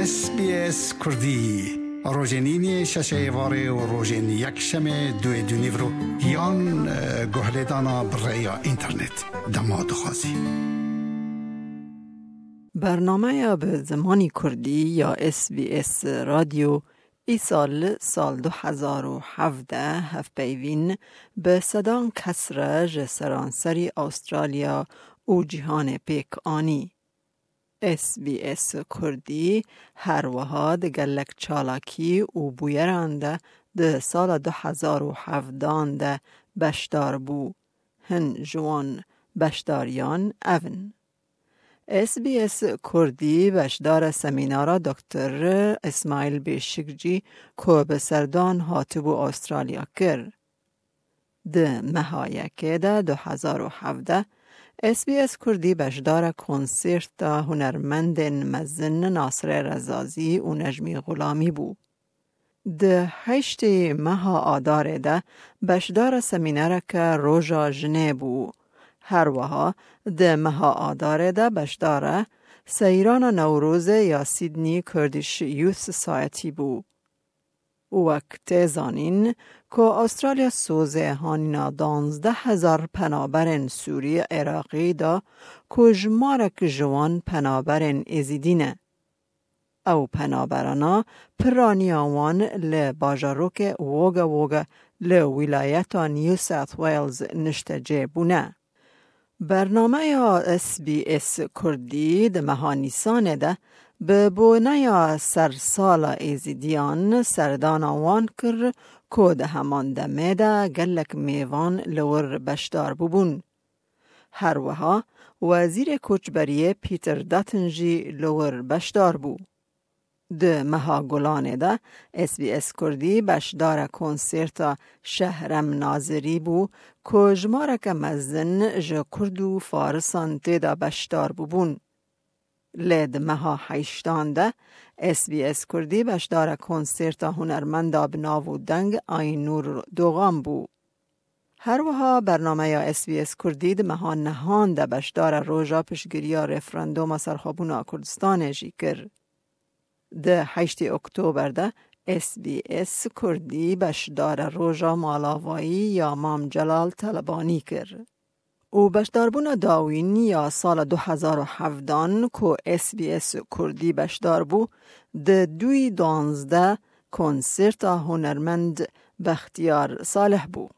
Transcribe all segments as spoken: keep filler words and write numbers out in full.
S B S Kurdî. Rojên înê şeşê êvarê û rojên yekşemê duê dûnîvro yan, e, guhlêdana bi rêya înternet dema dixwazî. Bernameya bi zimanî Kurdî ya S B S Radyo îsal, sal du hezar û hevdeh, hevpeyvîn bi sedan kes re ji seranserî Awustralya û cîhanê pêk anî. S B S Kurdî her wiha di gelek çalakî û bûyeran de di sala du hezar û hevdan de beşdar bû. Hin ji wan beşdariyan ev in. S B S Kurdî beşdara semînara Doktor Îsmaîl Bêşikcî ku bi serdan hatibû Awustralya kir. Di meha yekê de du hezar û hevdeh, S B S Kurdî beşdara konserta hunermendên mezin Nasirê Rezazî û Necmî Xulamî bû. Di heştê meha Adarê de beşdara semînereke Roja Jinê bû. Her wiha di meha Adarê de beşdara seyrana Newrozê ya Sydney Kurdish Youth Society bû. Wek tê zanîn ku Awustralya sozê hanîna danzdeh hezar penaberên Sûrî Iraqî da ku jimarek ji wan penaberên Êzîdî ne. Ew penaberana piraniya wan li bajarokê Wagga Wagga li wîlayeta New South Wales niştecê bûne. Bernameya S B S Kurdî di meha Nîsanê de bi boneya sersala Êzîdiyan serdana wan kir ku di heman demê de gelek mêvan li wir beşdar bûbûn. Her wiha Wezîrê Koçberiyê Peter Dutton jî li wir beşdar bû. Di meha Gulanê de S B S Kurdî beşdara konserta Şehrem Nazirî bû ku jimareke mezin ji Kurd û Farisan tê de beşdar bûbûn. Lê di meha heyştan de S B S Kurdî beşdara konserta hunermenda bi nav û deng Aynûr Dogan bû. Her wiha bernameya S B S Kurdî di meha nehan de beşdara roja piştgiriya referanduma serxwebûna Kurdistanê jî kir. Di heştê Oktober de S B S Kurdî beşdara roja malavayî ya Mam Celal Telebanî kir. Û beşdarbûna dawîn ya sala du hezar û hevdan ku S B S Kurdî beşdar bû, di duyî danzdeh konserta hunermend Bextiyar Salih bû.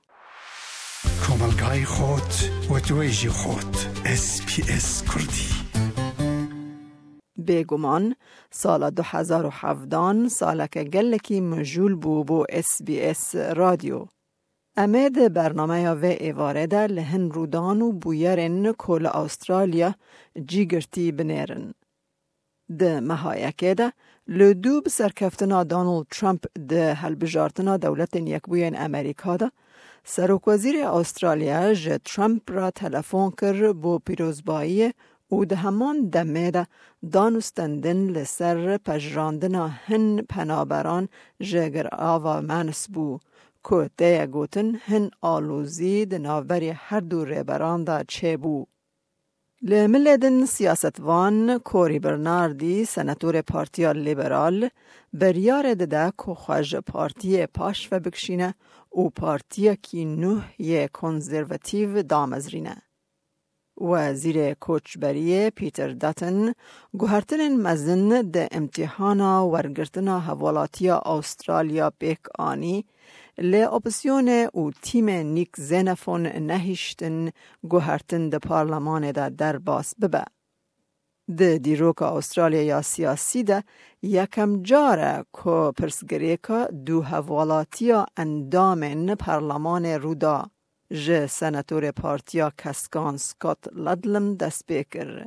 Komelgayê xot, wetwêjî xot, S B S Kurdî. Bêguman, sala du hezar û hevdan saleke gelekî mijûl bû bo S B S Radyo. Em ê di bernameya vê êvarê de li hin rûdan û bûyerên ku li Awustralya cî girtî binêrin. Di meha yekê de, li dû bi serkeftina Donald Trump di hilbijartina Dewletên Yekbûyên Amerîka de, Serokwezîrê Awustralya ji Trump re telefon kir bo pîrozbayiyê û di heman demê de dan û stendin li ser pejirandina hin penaberan ji Girava Manus bû, ku tê ye gotin hin alozî di navberî her du rêberan de çêbû. Li milê din siyasetvan Cory Bernardi, senatorê Partiya Liberal, biryarê dide ku xwe ji partiyê paş ve bikişîne û partiyekî nuh yê konservatîv damezrîne. Wezîrê Koçberiyê Peter Dutton guhertinên mezin di îmtîhana wergirtina hevwelatiya Awustralya pêk anî, lê opozîsyonê û tîmê Nick Xenophon nehiştin guhertin di parlemanê de derbas bibe. Di dîroka Awustralya ya siyasî de yekem car e ku pirsgirêka du hevwelatiya endamên parlemanê rû da. Ji senatorê Partiya Keskan Scott Ludlam dest pê kir.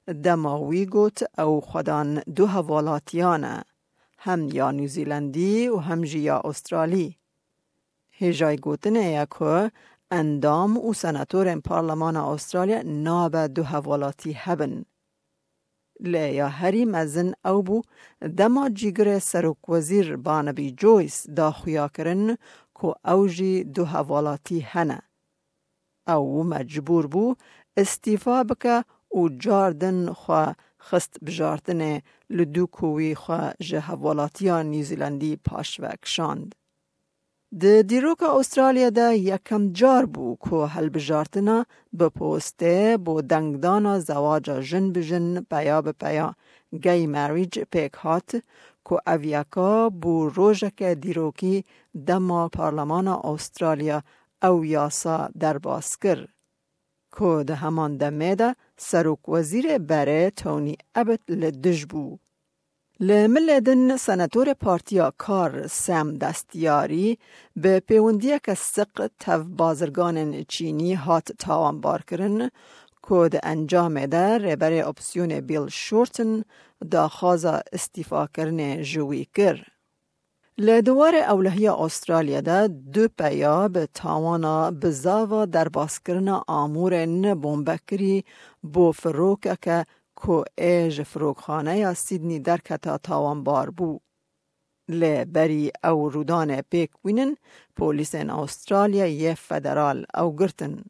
Dema wî got ew xwedan du hevwelatiyan e, hem ya Nûzîlandî û hem jî ya Awustralî. Hêjayî gotinê ye ku endam û senatorên Parlemana Awustralya nabe du hevwelatî hebin. Lê ya herî mezin ew bû, dema cîgirê serokwezîr Barnaby Joyce da xuya kirin ku ew jî du hevalatî hene. Ew mecbûr bû îstîfa bike û car din xwe xist bijartinê li dû ku wî xwe ji hevwelatiya Newzealandî paşve kişand. Di dîroka Astralya de yekem car bû ku hilbijartina bi postê bo dengdana zewaca jin bi jin, peya bi peya, gay marriage, pêk hat, ku ev yeka bû rojeke dîrokî dema Parlemana Astralya ew yasa derbas kir, ku di heman demê de Serokwezîrê berê Tony Abbott li dij bû. Li milê din senatorê Partiya Kar Sam Destiyarî bi pêwendiyeke siq tev bazirganên Çînî hat tawanbarkirin, ku di encamê de rêberê opsiyonê Bill Shorten daxwaza îstîfakirinê ji wî kir. Li di warê ewlehiya Astralya de du peya bi tawana bizava derbaskirina amûrên bombekirî bo firokeke ku ê ji firokxaneya Sydney derketa tawanbar bû. Lê berî ew rûdanê pêk bînin, polîsên Astralya yê federal ew girtin.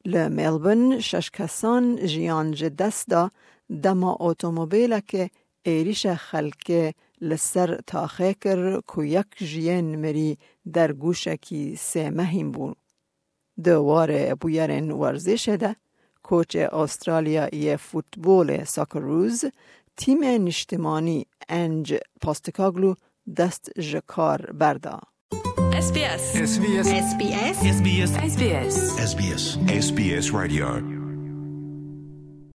Li Melbourne şeş kesan jiyan ji dest da dema otomobîlekê êrîşa xelkê li ser taxê kir ku yek ji yên mirî dergûşekî sê mehîn bû. Di warê bûyerên werzişê de, koçê Astralya yê futbolê Socceroos, tîmê niştimanî Ange Postecoglou dest ji kar berda. S B S. S B S. S B S. S B S. S B S. S B S. S B S Radio.